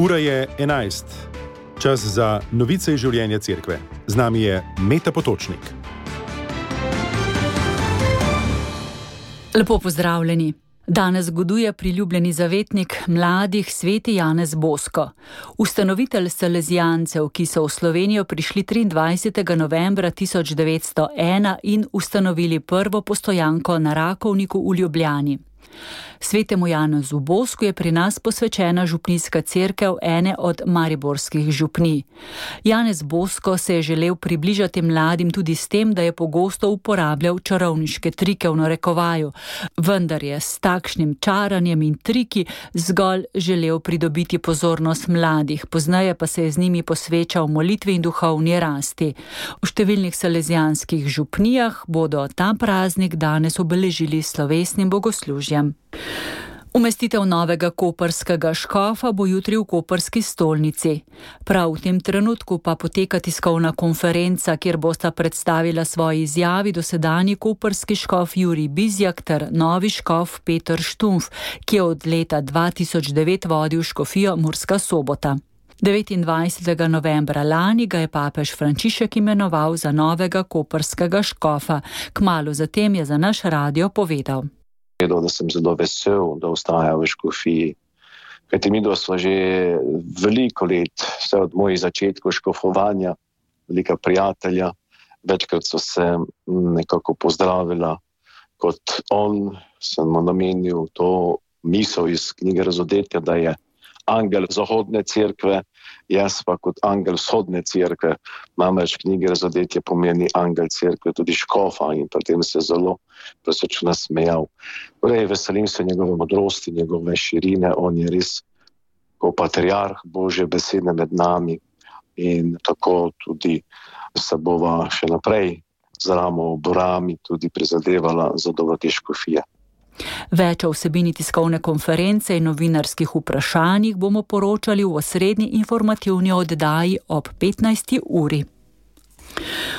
Ura je 11. Čas za novice iz življenja cerkve. Z nami je Meta Potočnik. Lepo pozdravljeni. Danes goduje priljubljeni zavetnik mladih sveti Janez Bosko. Ustanovitelj salezijancev, ki so v Slovenijo prišli 23. novembra 1901 in ustanovili prvo postojanko na Rakovniku v Ljubljani. Svetemu Janezu Bosku je pri nas posvečena župnijska cerkev ene od mariborskih župnij. Janez Bosko se je želel približati mladim tudi s tem, da je pogosto uporabljal čarovniške trike v narekovaju, vendar je s takšnim čaranjem in triki zgolj želel pridobiti pozornost mladih, pozneje pa se je z njimi posvečal molitvi in duhovni rasti. V številnih salezijanskih župnijah bodo ta praznik danes obeležili s slovesnim bogoslužjem. Umestitev novega koprskega škofa bo jutri v koprski stolnici. Prav v tem trenutku pa poteka tiskovna konferenca, kjer bosta predstavila svoji izjavi dosedanji koprski škof Jurij Bizjak ter novi škof Peter Štumf, ki je od leta 2009 vodil škofijo Murska Sobota. 29. novembra lani ga je papež Frančišek imenoval za novega koprskega škofa. Kmalu zatem je za naš radio povedal: Da sem zelo vesel, da ostaja v škofiji. Kajti midva sva že veliko let, vse od mojih začetkov škofovanja, velika prijatelja. Večkrat so se nekako pozdravila. Kot on sem mu namenil to misel iz knjige Razodetja, da je angel zahodne cerkve, jaz pa kot angel vzhodne cerkve. Namreč v knjigi Razodetje pomeni angel cerkve, tudi škofa, in pri tem se zelo presrčno nasmejal. Torej, veselim se njegove modrosti, njegove širine, on je res kot patriarh Božje besede med nami in tako tudi se bova še naprej z ramo ob rami tudi prizadevala za dobro te škofije. Več o vsebini tiskovne konference in novinarskih vprašanjih bomo poročali v osrednji informativni oddaji ob 15. uri.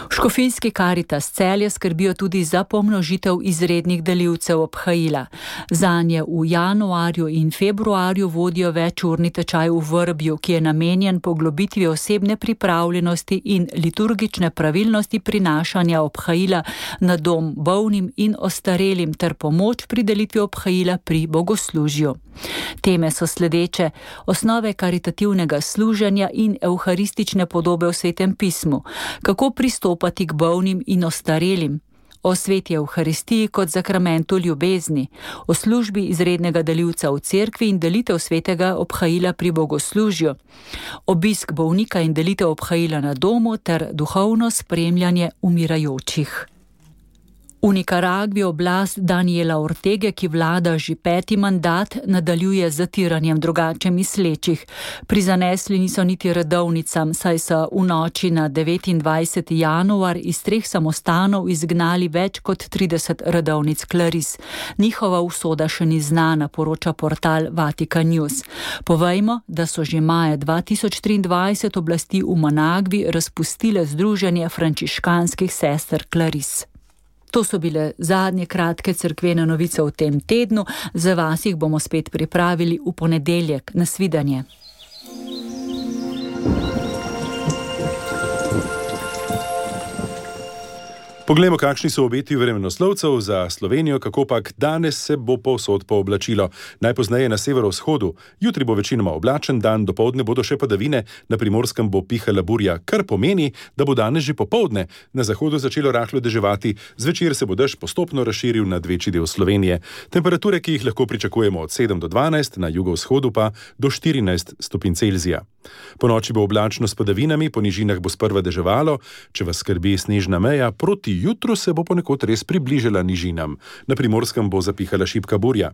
V škofijski Karitas Celje skrbijo tudi za pomnožitev izrednih delivcev obhajila. Zanje v januarju in februarju vodijo večurni tečaj v Vrbju, ki je namenjen poglobitvi osebne pripravljenosti in liturgične pravilnosti prinašanja obhajila na dom bolnim in ostarelim ter pomoč pri delitvi obhajila pri bogoslužju. Teme so sledeče: osnove karitativnega služenja in evharistične podobe v Svetem pismu, kako pristopati k bolnim in ostarelim, o sveti evharistiji kot zakramentu ljubezni, o službi izrednega delivca v cerkvi in delitev svetega obhajila pri bogoslužju, obisk bolnika in delitev obhajila na domu ter duhovno spremljanje umirajočih. V Nikaragvi oblast Daniela Ortege, ki vlada že 5. mandat, nadaljuje z zatiranjem drugače mislečih. Prizanesli niso niti redovnicam, saj so v noči na 29. januar iz 3 samostanov izgnali več kot 30 redovnic klaris. Njihova usoda še ni znana, poroča portal Vatican News. Povejmo, da so že maja 2023 oblasti v Managvi razpustile Združenje frančiškanskih sester klaris. To so bile zadnje kratke cerkvene novice v tem tednu. Za vas jih bomo spet pripravili v ponedeljek. Nasvidenje. Poglejmo, kakšni so obeti vremenoslovcev za Slovenijo, kakopak danes se bo povsod pooblačilo. Najpozneje na severovzhodu. Jutri bo večinoma oblačen dan, dopoldne bodo še padavine, na Primorskem bo pihala burja, kar pomeni, da bo danes že popoldne na zahodu začelo rahlo deževati, zvečer se bo dež postopno razširil nad večji del Slovenije. Temperature, ki jih lahko pričakujemo od 7 do 12, na jugovzhodu pa do 14 stopinj Celzija. Po noči bo oblačno s padavinami, po nižinah bo sprva deževalo, če vas skrbi snežna meja, proti jutru se bo ponekod res približala nižinam. Na Primorskem bo zapihala šibka burja.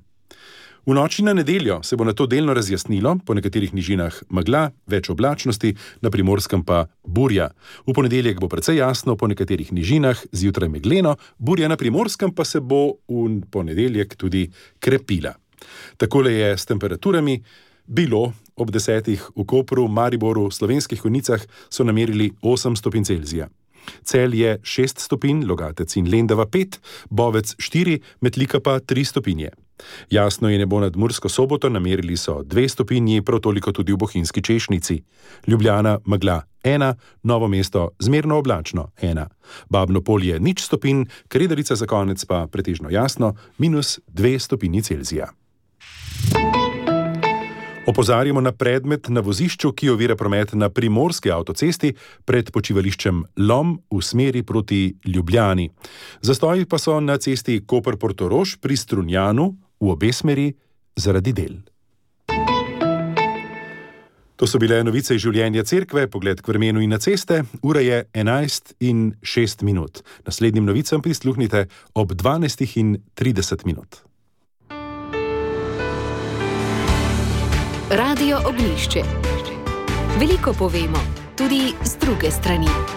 V noči na nedeljo se bo nato delno razjasnilo, po nekaterih nižinah megla, več oblačnosti, na Primorskem pa burja. V ponedeljek bo precej jasno, po nekaterih nižinah zjutraj megleno, burja na Primorskem pa se bo v ponedeljek tudi krepila. Takole je s temperaturami bilo ob 10. v Kopru, Mariboru, Slovenskih Konjicah so namerili 8 stopinj Celzija. Celje 6 stopinj, Logatec in Lendava 5, Bovec 4, Metlika pa 3 stopinje. Jasno je nebo nad Mursko Soboto, namerili so 2 stopinji, prav toliko tudi v Bohinjski Češnici. Ljubljana megla 1, Novo mesto zmerno oblačno 1. Babno Polje 0 stopinj, Kredarica za konec pa pretežno jasno -2 stopinji Celzija. Opozarjamo na predmet na vozišču, ki ovira promet na primorski avtocesti pred počivališčem Lom v smeri proti Ljubljani. Zastoji pa so na cesti Koper-Portorož pri Strunjanu v obe smeri zaradi del. To so bile novice iz življenja cerkve, pogled k vremenu in na ceste. Ura je 11:06. Naslednjim novicam prisluhnite ob 12:30. Radio Ognjišče. Veliko povemo, tudi z druge strani.